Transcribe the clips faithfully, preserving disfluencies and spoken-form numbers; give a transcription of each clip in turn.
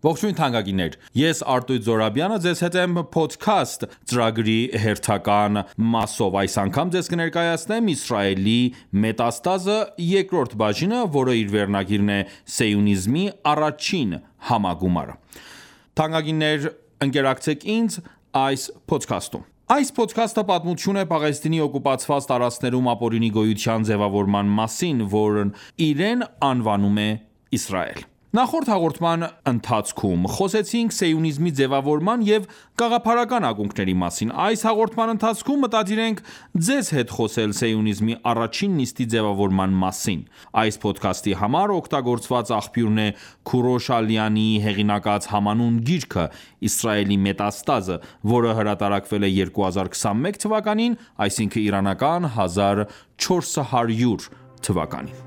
Ողջույն թանկագիններ, ես Արտույտ Զորաբյանը ձեզ հետ եմ Podcast ծրագրի հերթական մասով։ Այս անգամ ձեզ կներկայացնեմ Իսրայելի Մետաստազը երկրորդ բաժինը, որը իր վերնագիրն է Սիոնիզմի առաջին համագումարը։ Թանկագիններ, ընկերակցեք ինձ այս podcast-ում։ Այս podcast-ը պատմություն է Պաղեստինի օկուպացված տարածքներում ապօրինի գոյության ձևավորման մասին, որն իրեն անվանում է Իսրայել։ Նախորդ հաղորդման ընթացքում խոսեցինք սիոնիզմի ձևավորման և գաղափարական ակունքների մասին։ Այս հաղորդման ընթացքում մտադիր ենք ձեզ հետ խոսել սիոնիզմի առաջին նիստի ձևավորման մասին։ Այս podcast-ի համար օգտագործված աղբյուրն է Քուրոշ Ալյանի հեղինակած համանուն գիրքը Իսրայելի Մետաստազը, որը հրատարակվել է երկու հազար քսանմեկ թվականին, այսինքն իրանական հազար չորս հարյուր թվականին։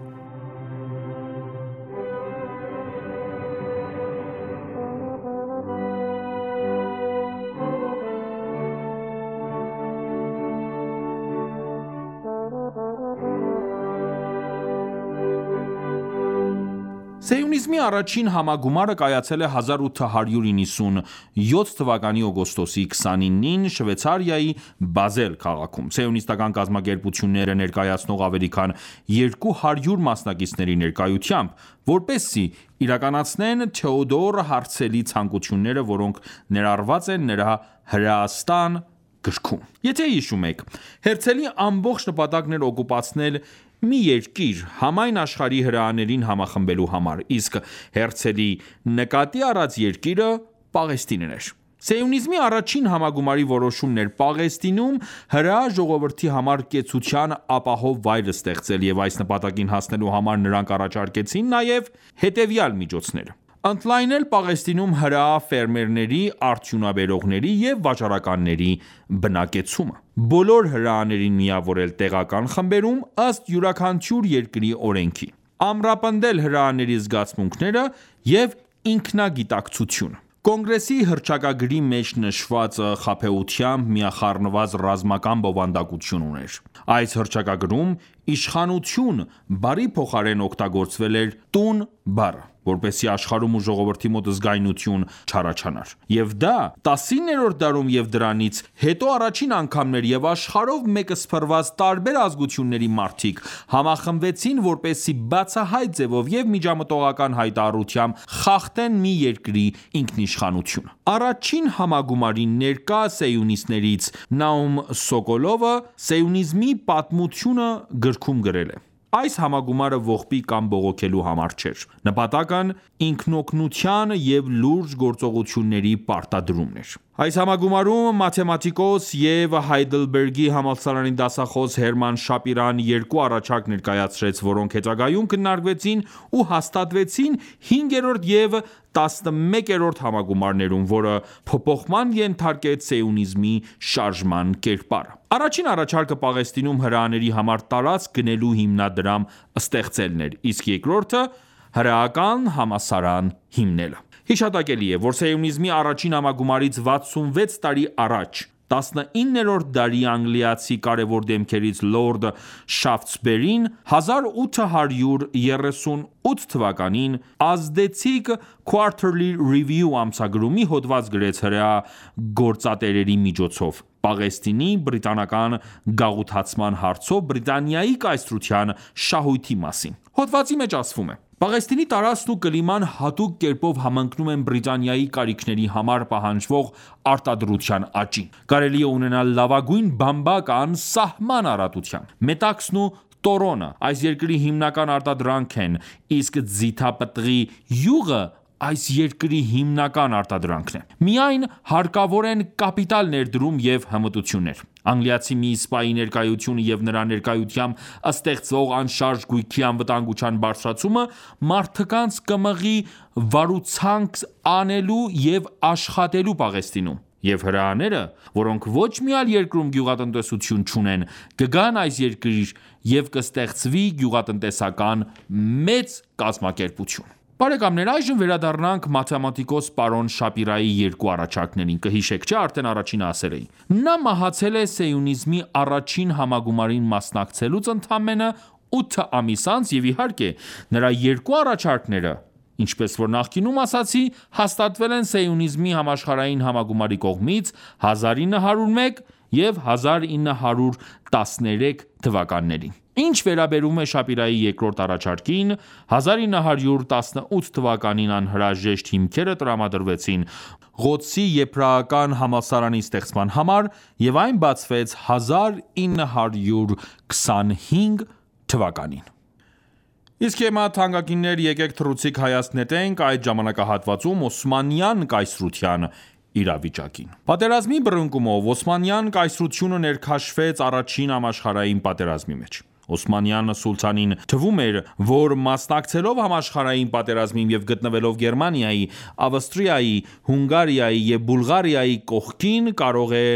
Սիոնիզմի առաջին համագումարը կայացել է հազար ութ հարյուր իննսունյոթ թվականի օգոստոսի քսանինին Շվեյցարիայի Բազել քաղաքում։ Սիոնիստական կազմակերպությունները ներկայացնող ավելի քան երկու հարյուր մասնակիցների ներկայությամբ, որպեսզի իրականացնեն Թեոդոր Հարցելի ցանկությունները, որոնք ներառված են նրա հրեաստան գրքում։ Եթե հիշում եք, Հերցելի ամբողջ նպատակն էր օկուպացնել մի երկիր համայն աշխարհի հրեաներին համախմբելու համար, իսկ Հերցելի նկատի առած երկիրը Պաղեստինն էր։ Սիոնիզմի առաջին համագումարի որոշումն էր Պաղեստինում հրեա ժողովրդի համար կեցության ապահով վայր ստեղծել, և այս նպատակին հասնելու համար նրանք առաջարկեցին նաև հետևյալ միջոցները. Ընդլայնել Պաղեստինում հրեա ֆերմերների, արդյունաբերողների և վաճառականների բնակեցումը, բոլոր հրեաներին միավորել տեղական խմբերում ըստ յուրաքանչյուր երկրի օրենքի, ամրապնդել հրեաների զգացմունքները և ինքնագիտակցությունը։ Կոնգրեսի հռչակագրի մեջ նշված խաբեությամբ միախառնված ռազմական բովանդակություն ուներ։ Այս հռչակագրում իշխանություն բառի փոխարեն օգտագործվել էր տուն բառը, որպեսզի աշխարհում ու ժողովրդի մոտ զգայունություն չառաջանար։ Եվ դա տասիններորդ դարում և դրանից հետո առաջին անգամն էր, և աշխարհով մեկսփռված տարբեր ազգությունների մարդիկ համախմբվեցին, որպեսզի բացահայտ ձևով և միջամտողական հայտարարությամբ խախտեն մի երկրի ինքնիշխանությունը։ Առաջին համագումարի ներկա սիոնիստներից Նաում Սոկոլովը «Սիոնիզմի պատմությունը» գրքում գրել է. Այս համագումարը ողբի կամ բողոքելու համար չէր։ Նպատակն ինքնօգնության և լուրջ գործողությունների պարտադրումն էր։ Այս համագումարում մաթեմատիկոս և Հայդելբերգի համալսարանի դասախոս Հերման Շապիրան երկու առաջարկ ներկայացրեց, որոնք հետագայում քննարկվեցին ու հաստատվեցին հինգերորդ և տասնմեկերորդ համագումարներում, որը փոփոխման ենթարկեց սիոնիզմի շարժման կերպարը։ Առաջին առաջարկը Պաղեստինում հրեաների համար տարածք գնելու հիմնադրամ ստեղծելն էր, իսկ երկրորդը հրեական համալսարան հիմնելը։ Հիշատակելի է, որ սիոնիզմի առաջին համագումարից վաթսունվեց տարի առաջ տասնիններորդ դարի անգլիացի կարևոր դեմքերից լորդ Շաֆթսբերին հազար ութ հարյուր երեսունութ թվականին ազդեցիկ Quarterly Review ամսագրում մի հոդված գրեց հրեա գործատերերի միջոցով Պաղեստինի բրիտանական գաղութացման հարցով Բրիտանիայի կայսրության շահույթի մասին։ Հոդվածի մեջ ասվում է. Պաղեստինի տարածքն ու կլիման հատուկ կերպով համընկնում են Բրիտանիայի կարիքների համար պահանջվող արտադրության աճին։ Կարելի է ունենալ լավագույն բամբակ անսահման առատությամբ։ Մետաքսն ու տորոնը այս երկրի հիմնական արտադրանքն են, իսկ ձիթապտղի յուղը այս երկրի հիմնական արտադրանքն է։ Միայն հարկավոր են կապիտալ ներդրում և հմտություններ։ Անգլիացի մի սպայի ներկայությունը և նրա ներկայությամբ ստեղծվող անշարժ գույքի անվտանգության բարձրացումը մարդկանց կմղի վարուցանք անելու և աշխատելու Պաղեստինում, և հրեաները, որոնք ոչ մի այլ երկրում գյուղատնտեսություն չունեն, կգան այս երկիր և կստեղծվի գյուղատնտեսական մեծ կազմակերպություն։ Բարեկամներ, այժմ վերադառնանք մաթեմատիկոս պարոն Շապիրայի երկու առաջարկներին։ Կհիշեք, չէ՞, արդեն առաջինը ասել էի։ Նա մահացել է սիոնիզմի առաջին համագումարին մասնակցելուց ընդամենը ութ ամիս անց, և իհարկե նրա երկու առաջարկները Ինչպես որ նախկինում ասացի, հաստատվել են սիոնիզմի համաշխարհային համագումարի կողմից հազար ինը հարյուր մեկ և հազար ինը հարյուր տասներեք թվականներին։ Ինչ վերաբերում է Շապիրայի երկրորդ առաջարկին, հազար ինը հարյուր տասնութ թվականին անհրաժեշտ հիմքերը տրամադրվեցին Ղոդսի եբրայական համալսարանի ստեղծման համար և այն բացվեց հազար ինը հարյուր քսանհինգ թվականին։ Իսկ հիմա թանկագիններ եկեք թռուցիկ հայացք նետենք այդ ժամանակահատվածում Օսմանյան կայսրության իրավիճակին։ Պատերազմի բռնկումով Օսմանյան կայսրությունը ներքաշվեց առաջին համաշխարհային պատերազմի մեջ։ Օսմանյան սուլթանին թվում էր, որ մասնակցելով համաշխարհային պատերազմին և գտնվելով Գերմանիայի, Ավստրիայի, Հունգարիայի և Բուլղարիայի կողքին կարող է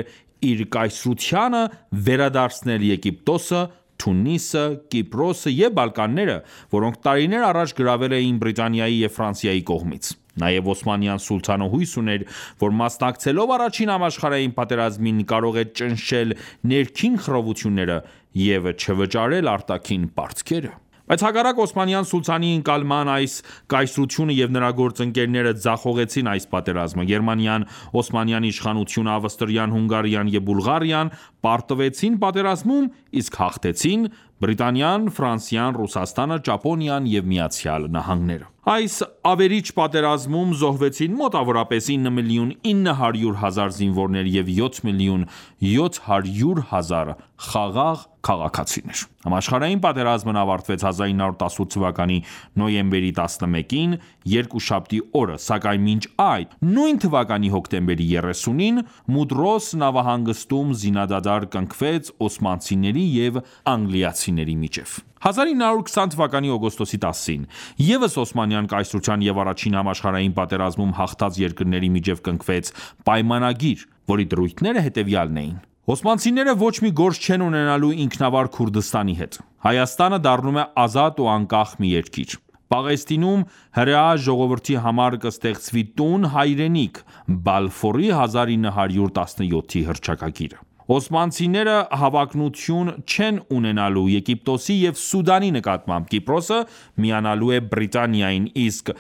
իր կայսրությանը վերադարձնել Եգիպտոսը, Թունիսը, Կիպրոսը և Բալկանները, որոնք տարիներ առաջ գրավել էին Բրիտանիայի և Ֆրանսիայի կողմից։ Նաև Օսմանյան սուլթանը հույս ուներ, որ մասնակցելով առաջին համաշխարհային պատերազմին կարող է ճնշել ներքին խռովությունները և չվճարել արտաքին պարտքերը։ Բայց հակառակ Օսմանյան սուլթանի ընկալման այս կայսրությունը և նրա գործընկերները ձախողեցին այս պատերազմը։ Գերմանիան, Օսմանյան իշխանությունը, Ավստրիան, Հունգարիան և Բուլղարիան պարտվեցին պատերազմում, իսկ հաղթեցին Բրիտանիան, Ֆրանսիան, Ռուսաստանը, Ճապոնիան և Միացյալ Նահանգները։ Այս ավերիչ պատերազմում զոհվեցին մոտավորապես ինը միլիոն ինը հարյուր հազար զինվորներ և յոթ միլիոն յոթ հարյուր հազար խաղաղ քաղաքացիներ։ Համաշխարհային պատերազմն ավարտվեց հազար ինը հարյուր տասնութ թվականի նոյեմբերի տասնմեկին, երկուշաբթի օրը, սակայն մինչ այդ, նույն թվականի հոկտեմբերի երեսունին Մուդրոս նավահանգստում զինադադար կնքվեց օսմանցիների և անգլիացիների միջև։ հազար ինը հարյուր քսան թվականի օգոստոսի տասին ևս Օսմանյան կայսրության և առաջին համաշխարհային պատերազմում հաղթած երկրների միջև կնքվեց պայմանագիր, որի դրույթները հետևյալն էին. Օսմանցիները ոչ մի գործ չեն ունենալու ինքնավար Քուրդստանի հետ։ Հայաստանը դառնում է ազատ ու անկախ մի երկիր։ Պաղեստինում հրեա ժողովրդի համար կստեղծվի տուն հայրենիք՝ Բալֆորի հազար ինը հարյուր տասնյոթի հռչակագիրը։ Օսմանցիները հավակնություն չեն ունենալու Եգիպտոսի և Սուդանի նկատմամբ, Կիպրոսը միանալու է Բրիտանիային, իսկ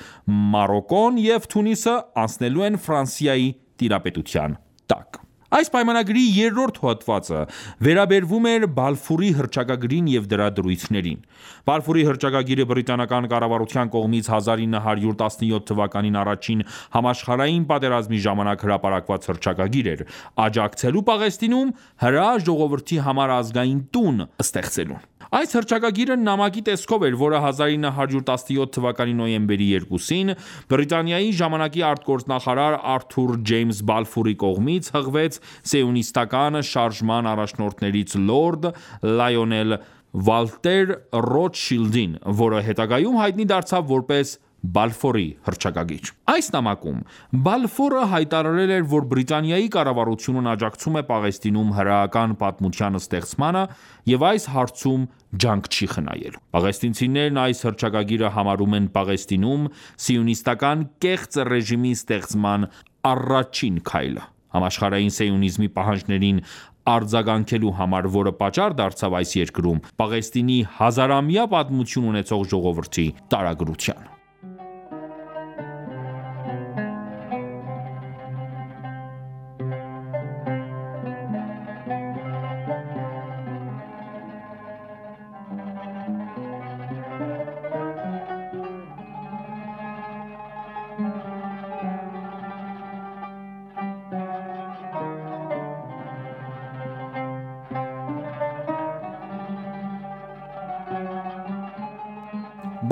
Մարոկկոն և Թունիսը անցնելու են Ֆրանսիայի տիրապետության տակ։ Այս պայմանագրի երրորդ հոդվածը վերաբերվում էր Բալֆուրի հռչակագրին և դրա դրույթներին։ Բալֆուրի հռչակագիրը բրիտանական կառավարության կողմից հազար ինը հարյուր տասնյոթ թվականին առաջին համաշխարհային պատերազմի ժամանակ հրապարակված հռչակագիր էր՝ աջակցելու Պաղեստինում հրեա ժողովրդի համար ազգային տուն ստեղծելուն։ Այս հռչակագիրը նամակի տեսքով էր, որը հազար ինը հարյուր տասնյոթ թվականի նոյեմբերի երկուսին Բրիտանիայի ժամանակի արտգործնախարար Արթուր Ջեյմս Բալֆուրի կողմից հղվեց սիոնիստական շարժման առաջնորդներից լորդ Լայոնել Վալտեր Ռոթշիլդին, որը հետագայում հայտնի դարձավ որպես Բալֆորի հռչակագիր։ Այս նամակում Բալֆորը հայտարարել էր, որ Բրիտանիայի կառավարությունն աջակցում է Պաղեստինում հրեական պատմության ստեղծմանը և այս հարցում ջանք չի խնայելու։ Պաղեստինցիներն այս հռչակագիրը համարում են Պաղեստինում սիոնիստական կեղծ ռեժիմի ստեղծման առաջին քայլը։ Համաշխարհային սիոնիզմի պահանջներին արձագանքելու համար, որը պատճառ դարձավ այս երկրում Պաղեստինի հազարամյա պատմություն ունեցող ժողովրդի տարագրության։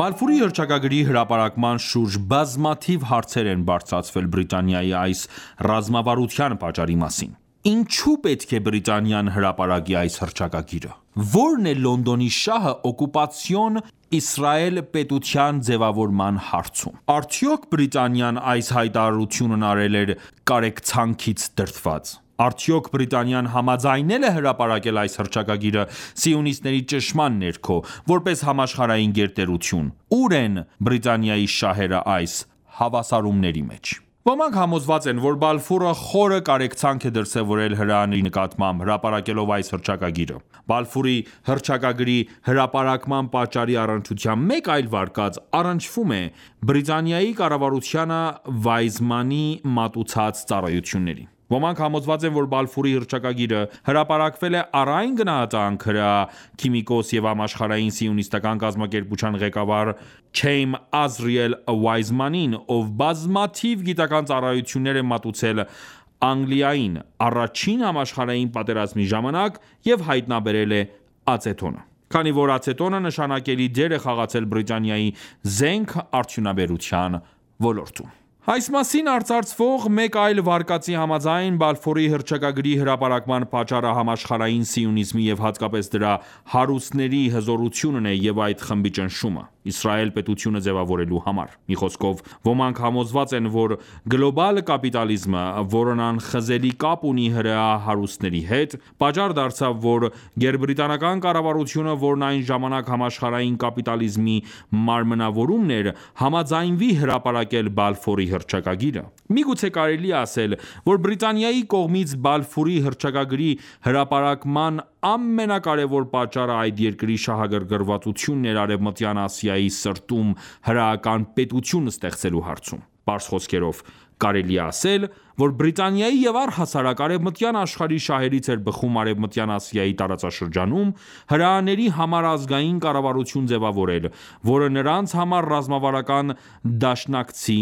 Բալֆուրի հռչակագրի հրապարակման շուրջ բազմաթիվ հարցեր են բարձրացվել Բրիտանիայի այս ռազմավարության պատճառի մասին։ Ինչու պետք է Բրիտանիան հրապարակի այս հռչակագիրը։ Ո՞րն է Լոնդոնի շահը օկուպացիոն Իսրայել պետության ձևավորման հարցում։ Արդյոք Բրիտանիան այս հայտարարությունն արել էր կարեկցանքից դրդված։ Արդյոք Բրիտանիան համաձայնել է հրապարակել այս հռչակագիրը սիոնիստների ճնշման ներքո, որպես համաշխարհային գերտերություն։ Ո՞ւր են Բրիտանիայի շահերը այս հավասարումների մեջ։ Ոմանք համոզված են, որ Բալֆուրը խորը կարեկցանք է դրսևորել հրեաների նկատմամբ, հրապարակելով այս հռչակագիրը։ Բալֆուրի հռչակագրի հրապարակման պատճառի առնչությամբ մեկ այլ վարկած առնչվում է Բրիտանիայի կառավարությանը Վայզմանի մատուցած ծառայություններին։ Ոմանք համոզված են, որ Բալֆուրի հռչակագիրը հրապարակվել է առ այն գնահատանք հրեա քիմիկոս և համաշխարհային սիոնիստական կազմակերպության ղեկավար Չեյմ Ազրիել Վայզմանին, ով բազմաթիվ գիտական ծառայություններ է մատուցել Անգլիային առաջին համաշխարհային պատերազմի ժամանակ և հայտնաբերել է ացետոնը։ Քանի որ ացետոնը նշանակալի դեր է խաղացել Բրիտանիայի զենք արդյունաբերության ոլորտում։ Այս մասին արծարծվող մեկ այլ վարկածի համաձայն Բալֆուրի հռչակագրի հրապարակման պատճառը համաշխարհային սիոնիզմի և հատկապես դրա հարուստների հզորությունն է և այդ խմբի ճնշումը՝ Իսրայել պետությունը ձևավորելու համար։ Մի խոսքով, ոմանք համոզված են, որ գլոբալ կապիտալիզմը, որն անխզելի կապ ունի հրեա հարուստների հետ, պատճառ դարձավ, որ գերբրիտանական կառավարությունը, որն այն ժամանակ համաշխարհային կապիտալիզմի մարմնավորումն էր, համաձայնվի հրապարակել Բալֆուրի հռչակագիրը։ Միգուցե կարելի է ասել, որ Բրիտանիայի կողմից Բալֆուրի հռչակագրի հրապարակման ամենակարևոր պատճառը այդ երկրի շահագրգռվածությունն էր Արևմտյան Ասիայի սրտում հրեական պետություն ստեղծելու հարցում։ Պարզ խոսքերով, կարելի է ասել, որ Բրիտանիայի և առհասարակ արևմտյան աշխարհի շահերից էր բխում Արևմտյան Ասիայի տարածաշրջանում հրեաների համար ազգային կառավարություն ձևավորել, որը նրանց համար ռազմավարական դաշնակցի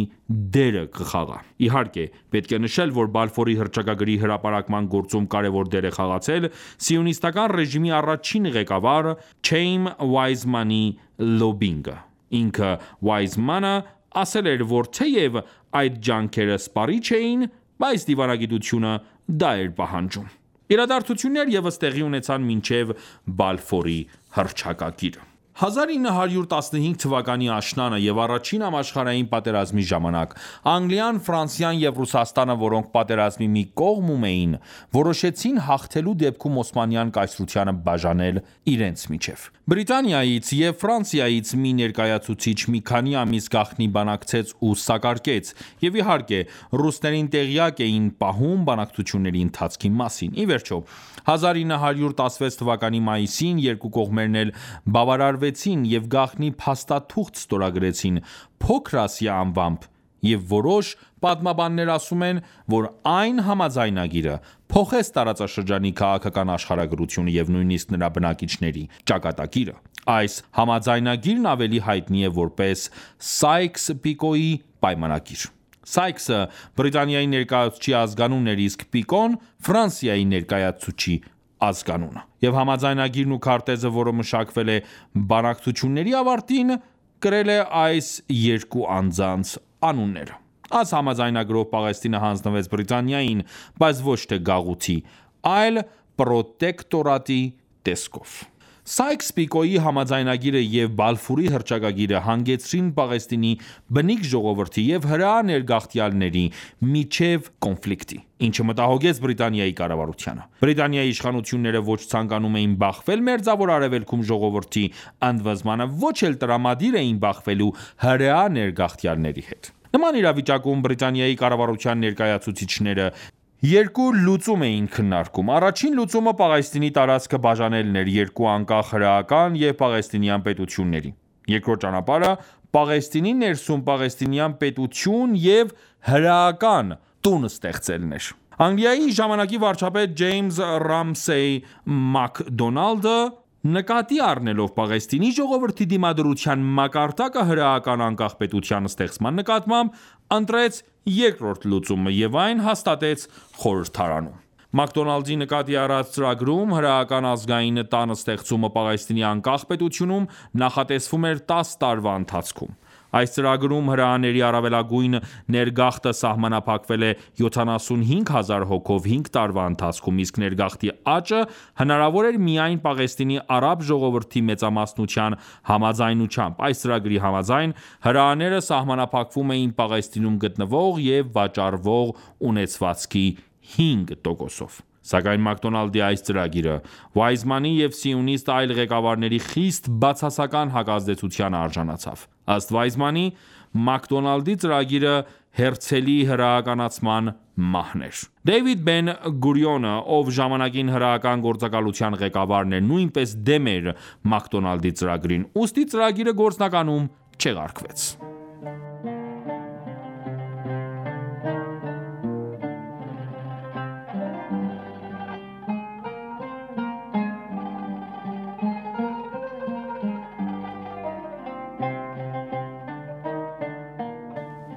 դերը կխաղա։ Իհարկե, պետք է նշել, որ Բալֆուրի հռչակագրի հրապարակման գործում կարևոր դեր է խաղացել սիոնիստական ռեժիմի առաջին ղեկավար Չեյմ Վայզմանի լոբբինգը։ Ինքը Վայզմանը ասել էր, որ թեև այդ ջանքերը սպառիչ էին, բայց դիվանագիտությունը դա էր պահանջում։ Իրադարձություններ ևս տեղի ունեցան մինչև Բալֆուրի հռչակագիրը։ հազար ինը հարյուր տասնհինգ թվականի աշնանը և առաջին համաշխարհային պատերազմի ժամանակ Անգլիան, Ֆրանսիան և Ռուսաստանը, որոնք պատերազմի մի կողմում էին, որոշեցին հաղթելու դեպքում Օսմանյան կայսրությանը բաժանել իրենց միջև։ Բրիտանիայից և Ֆրանսիայից մի ներկայացուցիչ մի քանի ամիս գաղտնի բանակցեց ու սակարկեց, և իհարկե, ռուսներին տեղյակ էին պահում բանակցությունների ընթացքի մասին։ Ի վերջո, հազար ինը հարյուր տասնվեց թվականի մայիսին երկու կողմերն էլ բավարարվեցին և գաղտնի փաստաթուղթ ստորագրեցին Փոքր Ասիա անվամբ, և որոշ պատմաբաններ ասում են, որ այն համաձայնագիրը փոխեց տարածաշրջանի քաղաքական աշխարհագրությունը և նույնիսկ նրա բնակիչների ճակատագիրը։ Այս համաձայնագիրն ավելի հայտնի է որպես Սայքս-Պիկոյի պայմանագիր։ Սայքսը Բրիտանիայի ներկայացուցչի ազգանունն էր, իսկ Պիկոն Ֆրանսիայի ներկայացուցչի ազգանունը։ Եվ համաձայնագիրն ու քարտեզը, որը մշակվել է բանակցությունների ավարտին, կրել է այս երկու անձանց անունները։ Այս համաձայնագրով Պաղեստինը հանձնվեց Բրիտանիային, բայց ոչ թե գաղութի, այլ պրոտեկտորատի տեսքով։ Սայքս-Պիկոյի համաձայնագիրը և Բալֆուրի հռչակագիրը հանգեցրին Պաղեստինի բնիկ ժողովրդի և հրեա ներգաղթյալների միջև կոնֆլիկտի, ինչը մտահոգեց Բրիտանիայի կառավարությանը։ Բրիտանիայի իշխանությունները ոչ ցանկանում էին բախվել Մերձավոր Արևելքում ժողովրդի ընդվզմանը, ոչ էլ տրամադիր էին բախվելու հրեա ներգաղթյալների հետ։ Նման իրավիճակում Բրիտանիայի կառավարության ներկայացուցիչները երկու լուծում էին քննարկում։ Առաջին լուծումը Պաղեստինի տարածքը բաժանելն էր երկու անկախ հրեական և պաղեստինյան պետությունների։ Երկրորդ ճանապարհը Պաղեստինի ներսում պաղեստինյան պետություն և հրեական տուն ստեղծելն էր։ Անգլիայի ժամանակի վարչապետ Ջեյմս Ռամսեյ Մակդոնալդը, նկատի առնելով Պաղեստինի ժողովրդի դիմադրության մակարդակը հրեական անկախ պետության ստեղծման նկատմամբ, ընտրեց երկրորդ լուծումը և այն հաստատեց խորհրդարանում։ Մակդոնալդի նկատի առած ծրագրում հրեական ազգային տան ստեղծումը Պաղեստինի անկախ պետությունում նախատեսվում էր տասը տարվա ընթացքում։ Այս ծրագրում հրեաների առավելագույն ներգաղթը սահմանափակվել է յոթանասունհինգ հազար հոգով հինգ տարվա ընթացքում, իսկ ներգաղթի աճը հնարավոր էր միայն Պաղեստինի արաբ ժողովրդի մեծամասնության համաձայնությամբ։ Այս ծրագրի համաձայն հրեաները սահմանափակվում էին Պաղեստինում գտնվող և վաճառվող ունեցվածքի հինգ տոկոսով։ Սակայն Մակդոնալդի այս ծրագիրը Վայզմանի և սիոնիստ այլ ղեկավարների խիստ բացասական հակազդեցությանը արժանացավ։ Ըստ Վայզմանի, Մակդոնալդի ծրագիրը հերցելի հրահականացման մահն էր։ Դեյվիդ Բեն Գուրիոնը, ով ժամանակին հրահական գործակալության ղեկավարն էր, նույնպես դեմ էր Մակդոնալդի ծրագրին, ուստի ծրագիրը գործնականում չեղարկվեց։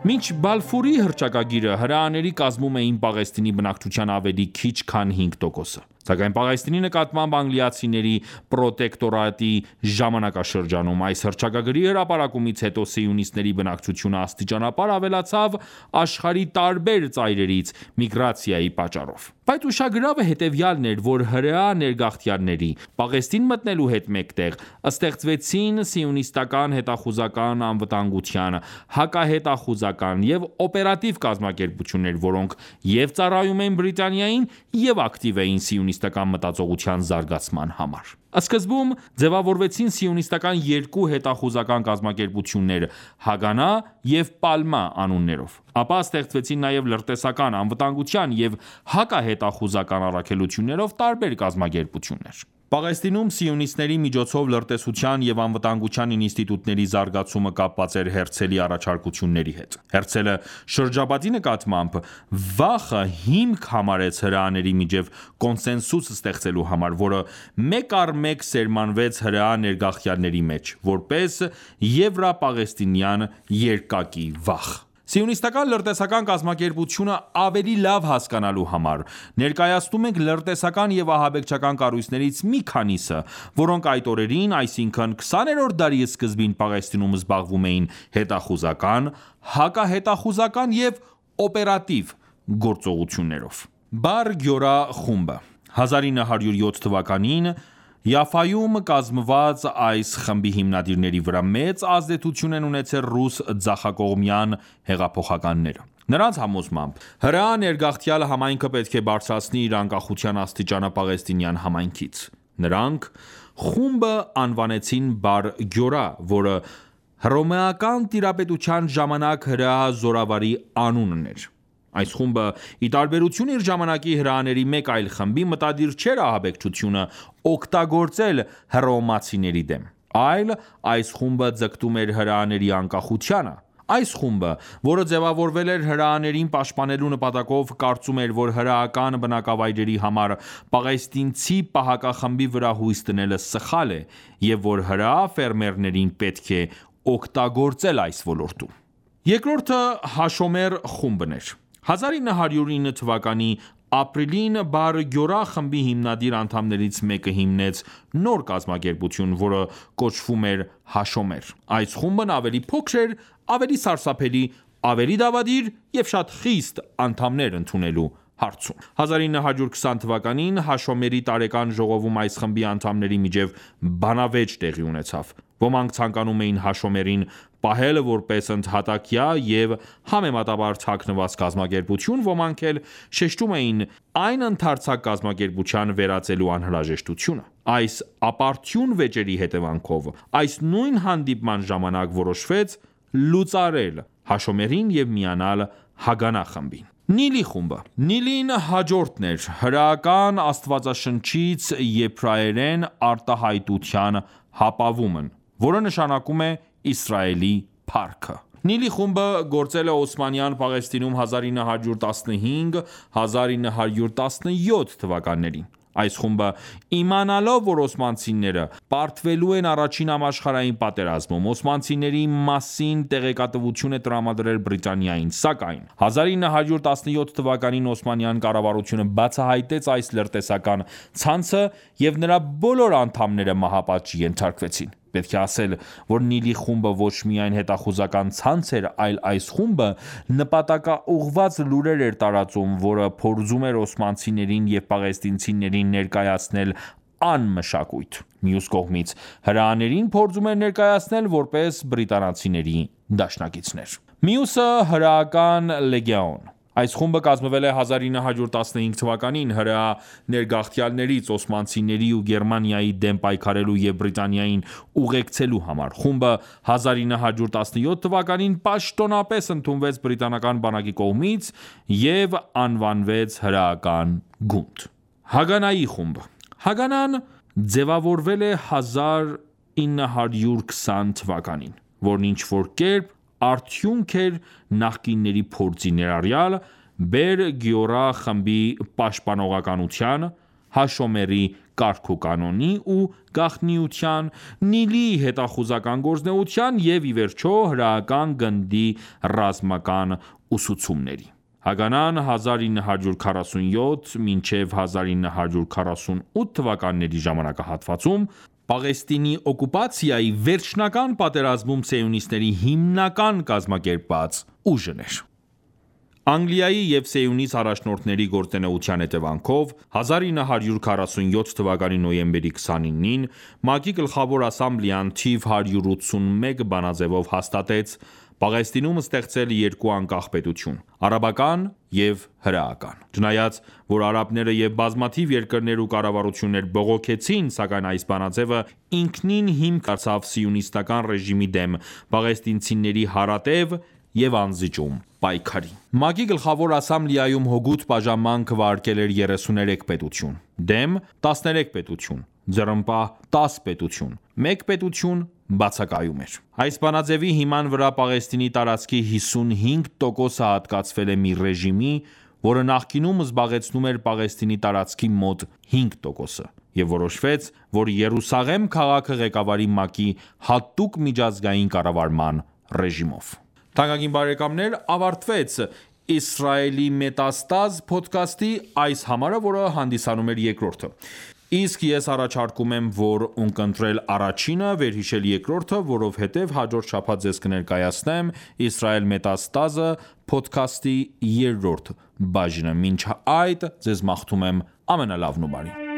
Մինչ Բալֆուրի հռչակագիրը հրեաների կազմում էին Պաղեստինի բնակչության ավելի քիչ քան հինգ տոկոսը, սակայն Պաղեստինի նկատմամբ անգլիացիների պրոտեկտորատի ժամանակաշրջանում այս հռչակագրի հրապարակումից հետո սիոնիստների բնակչությունը աստիճանաբար ավելացավ աշխարհի տարբեր ծայրերից միգրացիայի պատճառով։ Բայց ուշագրավը հետևյալն էր, որ հրեա ներգաղթյալների Պաղեստին մտնելու հետ մեկտեղ ստեղծվեցին սիոնիստական հետախուզական անվտանգության, հակահետախուզական և օպերատիվ կազմակերպություններ, որոնք և ծառայում էին Բրիտանիային, և ակտիվ էին սիոնիստական մտածողության զարգացման համար։ Սկզբում ձևավորվեցին սիոնիստական երկու հետախուզական կազմակերպություններ՝ Հագանա և Պալմա անուններով։ Ապա ստեղծվեցին նաև լրտեսական, անվտանգության և հակահետախուզական առաքելություններով տարբեր կազմակերպություններ։ Պաղեստինում սիոնիստների միջոցով լրտեսության և անվտանգության ինստիտուտների զարգացումը կապված էր Հերցելի առաջարկությունների հետ։ Հերցելը շրջապատի նկատմամբ վախը հիմք համարեց հրեաների միջև կոնսենսուս ստեղծելու համար, որը մեկ առ մեկ սերմանվեց հրեա ներգաղթյալների մեջ, որպես եվրապաղեստինյան երկակի վախ։ Սիոնիստական լրտեսական կազմակերպությունը ավելի լավ հասկանալու համար ներկայացնում ենք լրտեսական և ահաբեկչական կառույցներից մի քանիսը, որոնք այդ օրերին, այսինքն քսաներորդ դարի սկզբին Պաղեստինում զբաղվում էին հետախուզական, հակահետախուզական և օպերատիվ գործողություններով։ Բար Գյորա խումբը հազար ինը հարյուր յոթ թվականին Յաֆայում կազմված այս խմբի հիմնադիրների վրա մեծ ազդեցություն են ունեցել ռուս ձախակողմյան հեղափոխականները։ Նրանց համոզմամբ հրեա ներգաղթյալ համայնքը պետք է բարձրացնի իր անկախության աստիճանը պաղեստինյան համայնքից։ Նրանք խումբը անվանեցին Բար Գյորա, որը հռոմեական տիրապետության ժամանակ հրեա զորավարի անունն էր։ Այս խումբը, ի տարբերություն իր ժամանակի հրեաների մեկ այլ խմբի, մտադիր չէր ահաբեկչությունը օգտագործել հռոմեացիների դեմ, այլ այս խումբը ձգտում էր հրեաների անկախությանը։ Այս խումբը, որը ձևավորվել էր հրեաներին պաշտպանելու նպատակով, կարծում էր, որ հրեական բնակավայրերի համար պաղեստինցի պահակախմբի վրա հույս դնելը սխալ է, և որ հրեա ֆերմերներին պետք է օգտագործել այս ոլորտում։ Երկրորդը Հաշոմեր խումբն էր։ հազար ինը հարյուր ինը թվականի ապրիլին Բար Գյորա խմբի հիմնադիր անդամներից մեկը հիմնեց նոր կազմակերպություն, որը կոչվում էր Հաշոմեր։ Այս խումբն ավելի փոքր էր, ավելի սարսափելի, ավելի դավադիր և շատ խիստ անդամներ ընդունելու հարցում։ հազար ինը հարյուր քսան թվականին Հաշոմերի տարեկան ժողովում այս խմբի անդամների միջև բանավեճ տեղի ունեցավ։ Ոմանք ցանկանում էին Հաշոմերին պահել որպես ընդհատակյա և համեմատաբար թաքնված կազմակերպություն, ոմանք էլ շեշտում էին այն ընդարձակ կազմակերպության վերածելու անհրաժեշտությունը։ Այս ապարդյուն վեճերի հետևանքով այս նույն հանդիպման ժամանակ որոշվեց լուծարել Հաշոմերին և միանալ Հագանա խմբին։ Նիլի խումբը Նիլին հաջորդն էր հրեական աստվածաշնչից եբրայերեն արտահայտության հապավումն, որը նշանակում է Իսրայելի փառքը։ Նիլի խումբը գործել է Օսմանյան Պաղեստինում հազար ինը հարյուր տասնհինգ - հազար ինը հարյուր տասնյոթ թվականներին։ Այս խումբը, իմանալով, որ օսմանցիները պարտվելու են առաջին համաշխարհային պատերազմում, օսմանցիների մասին տեղեկատվություն է տրամադրել Բրիտանիային, սակայն հազար ինը հարյուր տասնյոթ թվականին Օսմանյան կառավարությունը բացահայտեց այս լրտեսական ցանցը և նրա բոլոր անդամները մահապատժի ենթարկվեցին։ Պետք է ասել, որ Նիլի խումբը ոչ միայն հետախուզական ցանց էր, այլ այս խումբը նպատակաուղղված լուրեր էր տարածում, որը փորձում էր օսմանցիներին և պաղեստինցիներին ներկայացնել անմշակույթ։ Մյուս կողմից, հրեաներին փորձում էր ներկայացնել որպես բրիտանացիների դաշնակիցներ։ Մյուսը հրեական լեգեոն։ Այս խումբը կազմվել է հազար ինը հարյուր տասնհինգ թվականին հրեա ներգաղթյալներից օսմանցիների ու Գերմանիայի դեմ պայքարելու և Բրիտանիային ուղեկցելու համար։ Խումբը հազար ինը հարյուր տասնյոթ թվականին պաշտոնապես ընդունվեց բրիտանական բանակի կողմից և անվանվեց հրեական գունդ։ Հագանայի խումբ Հագանան ձևավորվել է հազար ինը հարյուր քսան թվականին, որն ինչ-որ կերպ արդյունք էր նախկինների փորձի, ներառյալ Բեր Գյորա խմբի պաշտպանողականության, Հաշոմերի կարգուկանոնի ու գաղտնիության, Նիլի հետախուզական գործունեության և ի վերջո հրեական գնդի ռազմական ուսուցումների։ Հագանան հազար ինը հարյուր քառասունյոթ մինչև հազար ինը հարյուր քառասունութ թվականների ժամանակահատվածում Պաղեստինի օկուպացիայի վերջնական պատերազմում սիոնիստների հիմնական կազմակերպված ուժն էր։ Անգլիայի և Սիոնիստ առաջնորդների գործունեության հետևանքով հազար ինը հարյուր քառասունյոթ թվականի նոյեմբերի քսանինին ՄԱԿ-ի Գլխավոր ասամբլեան թիվ հարյուր ութսունմեկ բանաձևով հաստատեց Պաղեստինում ստեղծել երկու անկախ պետություն՝ արաբական և հրեական։ Չնայած որ արաբները և բազմաթիվ երկրներ ու կառավարություններ բողոքեցին, սակայն այս բանաձևը ինքնին հիմք դարձավ սիոնիստական ռեժիմի դեմ պաղեստինցիների հարատև և անզիջում պայքարի։ ՄԱԿ-ի Գլխավոր ասամբլեայում հօգուտ բաժանման քվեարկել էր երեսուներեք պետություն, դեմ տասներեք պետություն, ձեռնպահ տաս պետություն, մեկ պետություն բացակայում էր։ Այս բանաձևի հիման վրա Պաղեստինի տարածքի հիսունհինգ տոկոսը հատկացվել է մի ռեժիմի, որը նախկինում զբաղեցնում էր Պաղեստինի տարածքի մոտ հինգ տոկոսը, և որոշվեց, որ Երուսաղեմ քաղաքը ղեկավարի ՄԱԿ-ի հատուկ միջազգային կառավարման ռեժիմով։ Թանկագին բարեկամներ, ավարտվեց «Իսրայելի մետաստազ» փոդքասթի այս համարը, որը հանդիսանում էր երկրորդը։ Իսկ ես առաջարկում եմ, որ ունկնդրել առաջինը, վերհիշել երկրորդը, որովհետև հաջորդ շաբաթ ձեզ կներկայացնեմ «Իսրայել մետաստազը» փոդքասթի երրորդ բաժինը։ Մինչ այդ ձեզ մաղթում եմ ամենալավն ու բարին։